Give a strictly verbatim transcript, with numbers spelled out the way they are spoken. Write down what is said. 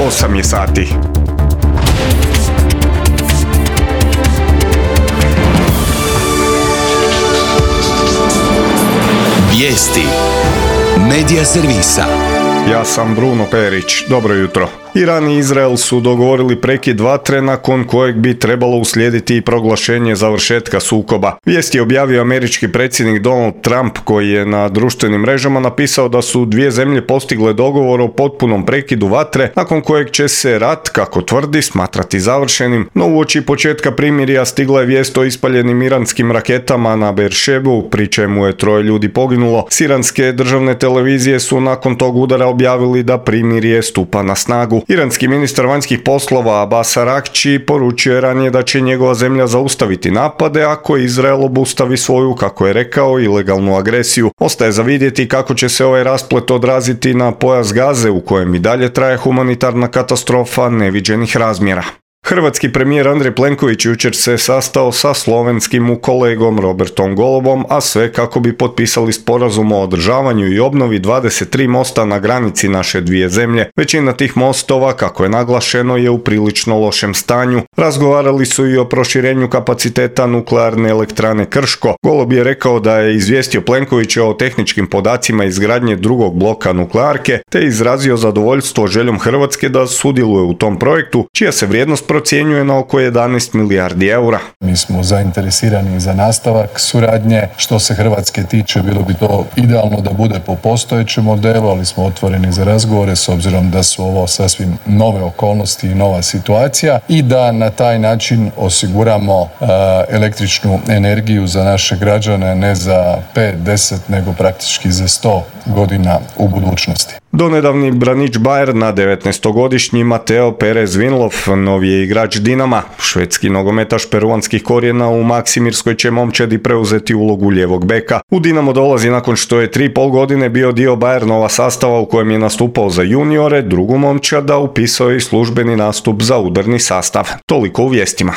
osam je sati. Vijesti Medija servisa. Ja sam Bruno Perić. Dobro jutro. Iran i Izrael su dogovorili prekid vatre nakon kojeg bi trebalo uslijediti i proglašenje završetka sukoba. Vijest je objavio američki predsjednik Donald Trump, koji je na društvenim mrežama napisao da su dvije zemlje postigle dogovor o potpunom prekidu vatre, nakon kojeg će se rat, kako tvrdi, smatrati završenim. No uoči početka primirja stigla je vijest o ispaljenim iranskim raketama na Beeršebu, pri čemu je troje ljudi poginulo. S iranske državne televizije su nakon tog udara objavili da primirje stupa na snagu. Iranski ministar vanjskih poslova Abbas Araghči poručio je ranije da će njegova zemlja zaustaviti napade ako Izrael obustavi svoju, kako je rekao, ilegalnu agresiju. Ostaje za vidjeti kako će se ovaj rasplet odraziti na pojas Gaze, u kojem i dalje traje humanitarna katastrofa neviđenih razmjera. Hrvatski premijer Andrej Plenković jučer se sastao sa slovenskim kolegom Robertom Golobom, a sve kako bi potpisali sporazum o održavanju i obnovi dvadeset tri mosta na granici naše dvije zemlje. Većina tih mostova, kako je naglašeno, je u prilično lošem stanju. Razgovarali su i o proširenju kapaciteta nuklearne elektrane Krško. Golob je rekao da je izvijestio Plenkovića o tehničkim podacima izgradnje drugog bloka nuklearke, te izrazio zadovoljstvo željom Hrvatske da sudjeluje u tom projektu, čija se vrijednost procjenjuje na oko jedanaest milijardi eura. Mi smo zainteresirani za nastavak suradnje. Što se Hrvatske tiče, bilo bi to idealno da bude po postojećem modelu, ali smo otvoreni za razgovore s obzirom da su ovo sasvim nove okolnosti i nova situacija i da na taj način osiguramo uh, električnu energiju za naše građane ne za pet, deset, nego praktički za sto godina u budućnosti. Donedavni branič Bayerna, devetnaestogodišnji Mateo Perez Vinlov, novi je igrač Dinama. Švedski nogometaš peruanskih korijena u Maksimirskoj će momčadi preuzeti ulogu lijevog beka. U Dinamo dolazi nakon što je tri i pol godine bio dio Bayernova sastava u kojem je nastupao za juniore, drugu momčada upisao je i službeni nastup za udarni sastav. Toliko u vijestima.